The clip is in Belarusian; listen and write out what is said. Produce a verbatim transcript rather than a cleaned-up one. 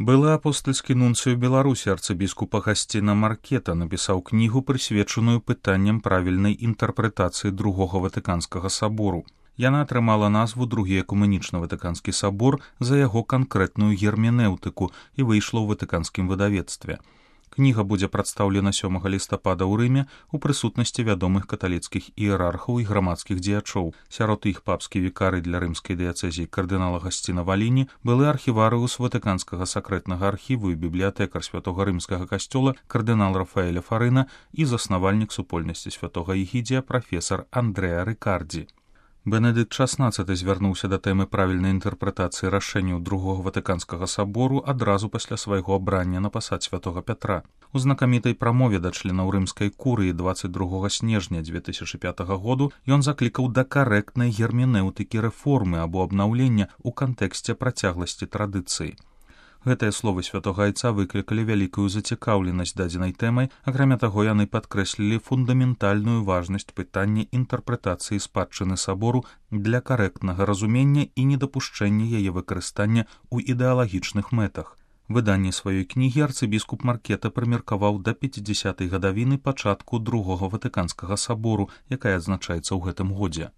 Былы апостальскі нунцыю Беларусі арцыбіскуп Агасціна Маркета напісаў кнігу, прысвечаную пытанням правільнай інтэрпрэтацыі другога Ватыканскага сабору. Яна атрымала назву «Другі экуменічны Ватыканскі сабор» за яго канкрэтную герменэўтыку і выйшла ў ватыканскім выдавецтве. Кніга будзе прадстаўлена сёмага лістапада ў Рыме ў прысутнасці вядомых каталіцкіх іерархаў і грамадскіх дзеячоў. Сярод іх папскі вікары для рымскай дыяцэзіі кардынал Агасціна Валіні, былы архіварыус Ватыканскага сакрэтнага архіву і бібліятэкар святога рымскага касцёла кардынал Рафаэля Фарына і заснавальнік супольнасці святога Егідзія прафесар Андрэа Рыкардзі. Бенедыкт шаснаццаты звярнуўся да тэмы правільнай інтэрпрэтацыі рашэнняў другога Ватыканскага сабору адразу пасля свайго абрання на пасад святога Пятра. У знакамітай прамове да членаў рымскай курыі дваццаць другога снежня дзве тысячы пятага году ён заклікаў да карэктнай герменэўтыкі рэформы або абнаўлення ў кантэксце працягласці традыцыі. Гэтыя словы святога айца выклікалі вялікую зацікаўленасць дадзенай тэмай, акрамя таго яны падкрэслілі фундаментальную важнасць пытання інтэрпрэтацыі спадчыны сабору для карэктнага разумення і недапушчэння яе выкарыстання ў ідэалагічных мэтах. Выданне сваёй кнігі арцыбіскуп Маркета прымеркаваў да пяцідзясятай гадавіны пачатку другога Ватыканскага сабору, якая адзначаецца ў гэтым годзе.